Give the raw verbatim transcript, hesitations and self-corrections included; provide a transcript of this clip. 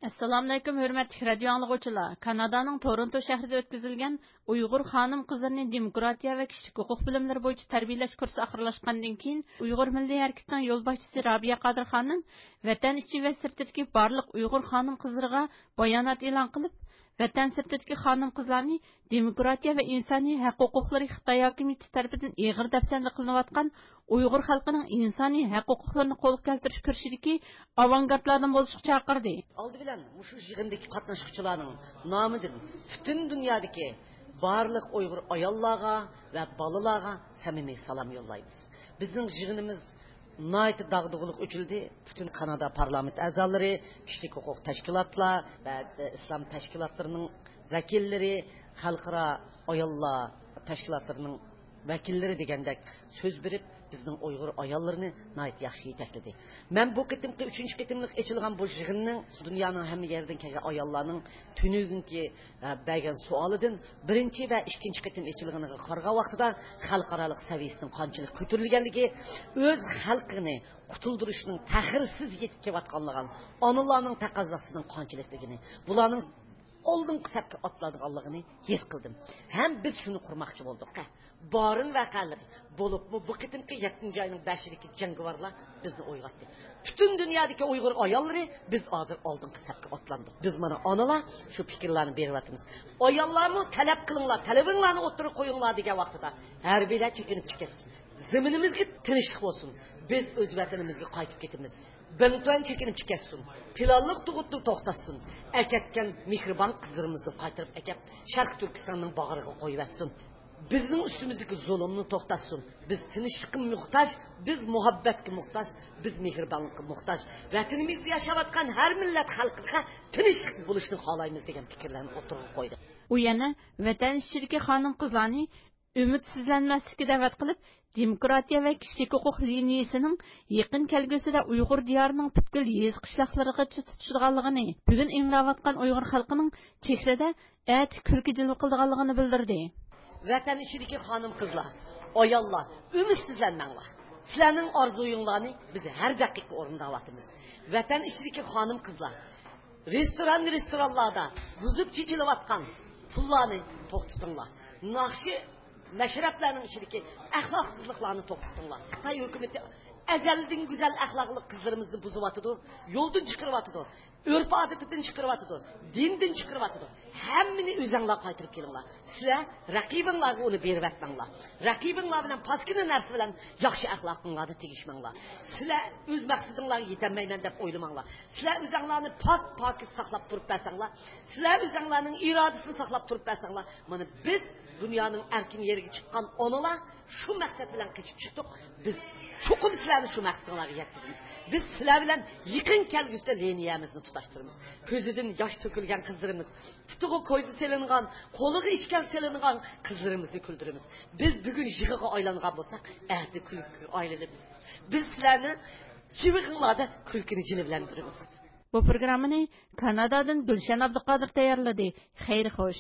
ئەسسالامۇئەلەيكۇم، ھۆرمەتلىك رادىيو ئاڭلىغۇچىلار! كانادانىڭ تورونتو شەھىرىدە ئۆتكۈزۈلگەن ئۇيغۇر خانىم-قىزلىرىنى دېموكراتىيە ۋە كىشىلىك ھوقۇق بىلىملىرى بويىچە تەربىيەلەش كۇرسى ئاخىرلاشقاندىن كېيىن، ئۇيغۇر مىللىي ھەرىكىتىنىڭ يولباشچىسى رابىيە قادىر خانىم ۋەتەن ئىچى ۋە سىرتىدىكى بارلىق ئۇيغۇر خانىم-قىزلىرىغا بايانات ئېلان قىلىپ، ۋەتەن سىرتىدىكى خانىم-قىزلارنى دېموكراتىيە ۋە ئىنسانىي ھەق ھوقۇقلىرى خىتاي ھاكىمىيىتى تەرىپىدىن ئېغىر دەپسەندە قىلىنىۋاتقان ئۇيغۇر خەلقىنىڭ ئىنسانىي ھەق ھوقۇقلىرىنى قولغا كەلتۈرۈش كۈرىشىدىكى ئاۋانگارتلاردىن بولۇشقا چاقىردى. ئالدى بىلەن مۇشۇ يىغىندىكى قاتناشقۇچىلارنىڭ نامىدىن پۈتۈن دۇنيادىكى بارلىق ئۇيغۇر ئاياللارغا ۋە بالىلارغا سەمىمىي سالام يوللايمىز. بىزنىڭ يىغىنىمىز ناھايىتى داغدۇغىلىق ئۆتۈلدى. پۈتۈن كانادا پارلامېنت ئەزالىرى، كىشىلىك ھوقۇق تەشكىلاتلار ۋە ئىسلام تەشكىلاتلىرىنىڭ ۋەكىللىرى، خەلقئارا ئاياللار تەشكىلاتلىرىنىڭ ۋەكىللىرى دېگەندەك سۆز بېرىپ، بىزنىڭ ئۇيغۇر ئاياللىرىنى ناھايىتى ياخشى يېتەكلىدى. مەن بۇ قېتىمقى ئۈچىنچى قېتىملىق ئېچىلغان بۇ يىغىننىڭ دۇنيانىڭ ھەممە يېرىدىن كەلگەن ئاياللارنىڭ تۈنۈگۈنكى، ئە، بەرگەن سوئالىدىن بىرىنچى ۋە ئىككىنچى قېتىم ئېچىلغىنىغا قارىغان ۋاقتىدا خەلقئارالىق سەۋىيەسىنىڭ قانچىلىك كۆتۈرۈلگەنلىكى، ئۆز خەلقىنى قۇتۇلدۇرۇشنىڭ تەخىرسىز يېتىپ كېلىۋاتقانلىقىنى، ئانىلارنىڭ تەقەززاسىنىڭ قانچىلىكلىكىنى، بۇلارنىڭ ئالدىنقى سەپكە ئاتلايدىغانلىقىنى ھېس قىلدىم. ھەم بىز شۇنى قۇرماقچى بولدۇق. بارىن ۋەقەلىرى، بولۇپمۇ بۇ قېتىمقى يەتتىنچى ئاينىڭ بەشىدىكى جەڭگىۋارلار بىزنى ئويغاتتى. پۈتۈن دۇنيادىكى ئۇيغۇر ئاياللىرى، بىز ھازىر ئالدىنقى سەپكە ئاتلاندۇق. بىز مانا ئانىلار شۇ پىكىرلەرنى بېرىۋاتىمىز. ئاياللارمۇ تەلەپ قىلىڭلار، تەلىپىڭلارنى ئوتتۇرىغا قويۇڭلار دېگەن ۋاقتىدا ھەربىيلەر چېكىنىپ چىقىۋەتسۇن. زېمىنىمىزگە تىنچلىق بولسۇن. بىز ئۆز ۋەتىنىمىزگە قايتىپ كېتىمىز. بىڭتۈەن چېكىنىپ چىقىۋەتسۇن. پىلانلىق تۇغۇتنى توختاتسۇن. ئەكەتكەن مېھرىبان قىزلىرىمىزنى قايتۇرۇپ ئەكەپ، شەرقىي تۈركىستاننىڭ باغرىغا قويۇۋەتسۇن. بىزنىڭ ئۈستىمىزدىكى زۇلۇمنى توختاتسۇن. بىز تىنچلىققا موھتاج، بىز مۇھەببەتكە موھتاج، بىز مېھرىبانلىققا موھتاج. ۋەتىنىمىزدە ياشاۋاتقان ھەر مىللەت خەلقىگە تىنچلىق بولۇشىنى خالايمىز دېگەن پىكىرلەرنى ئوتتۇرىغا قويدى. ئۇ يەنە ۋەتەن ئىچىدىكى خانىم-قىزلارنى ئۈمىدسىزلەنمەسلىككە دەۋەت قىلىپ، دېموكراتىيە ۋە كىشىلىك ھوقۇق لىنىيىسىنىڭ يېقىن كەلگۈسىدە ئۇيغۇر دىيارىنىڭ پۈتكۈل يېزا قىشلاقلىرىغىچە تۇتىشىدىغانلىقىنى، بۈگۈن ئىڭراۋاتقان ئۇيغۇر خەلقىنىڭ چېھرىدە ئەتە كۈلكە جىلۋە قىلىدىغانلىقىنى بىلدۈردى. ۋەتەن ئىچىدىكى خانىم-قىزلار، ئاياللار، ئۈمىدسىزلەنمەڭلار. سىلەرنىڭ ئارزۇيۇڭلارنى بىز ھەر دەقىقە ئورۇنداۋاتىمىز. ۋەتەن ئىچىدىكى خانىم-قىزلار، رېستوران، رېستورانلاردا بۇزۇپ چېچىلىۋاتقان پۇللارنى توختىتىڭلار. ناخشا، مەشرەپلەرنىڭ ئىچىدىكى ئەخلاقسىزلىقلارنى توختىتىڭلار. خىتاي ھۆكۈمىتى ئەزەلدىن گۈزەل ئەخلاقلىق قىزلىرىمىزنى بۇزۇۋاتىدۇ، يولدىن چىقىرىۋاتىدۇ، ئۆرپ-ئادىتىدىن چىقىرىۋاتىدۇ، دىندىن چىقىرىۋاتىدۇ. ھەممىنى ئۆزەڭلار قايتۇرۇپ كېلىڭلار. سىلەر رەقىبىڭلارغا ئۇنى بېرىۋەتمەڭلار. رەقىبىڭلار بىلەن پاسكىنا نەرسە بىلەن ياخشى ئەخلاقىڭلارنى تېگىشمەڭلار. سىلەر ئۆز مەقسىتىڭلارغا يېتەلمەيمەن دەپ ئويلىماڭلار. سىلەر ئۆزەڭلارنى پاك، پاكىز ساقلاپ تۇرۇپ بەرسەڭلار، سىلەر ئۆزەڭلارنىڭ ئىرادىسىنى ساقلاپ تۇرۇپ بەرسەڭلار، مانا بىز دۇنيانىڭ ئەركىن يېرىگە چىققان ئانىلار شۇ مەقسەت بىلەن قېچىپ چىقتۇق. بىز چوقۇم سىلەرنى شۇ مەقسىتىڭلارغا يەتكۈزىمىز. بىز سىلەر بىلەن يېقىن كەلگۈسىدە لىنىيەمىزنى تۇتاشتۇرىمىز. كۆزىدىن ياش تۆكۈلگەن قىزلىرىمىز، پۇتىغا كويزا سېلىنغان، قولىغا ئىشكەل سېلىنغان قىزلىرىمىزنى كۈلدۈرىمىز. بىز بۈگۈن يىغىغا ئايلانغان بولساق، ئەتە كۈلكىگە ئايلىنىمىز. بىز سىلەرنى يىغىڭلاردا كۈلكىنى جىلۋىلەندۈرىمىز. بۇ پروگراممىنى كانادادىن گۈلشەن ئابدۇقادىر تەييارلىدى. خەير خوش.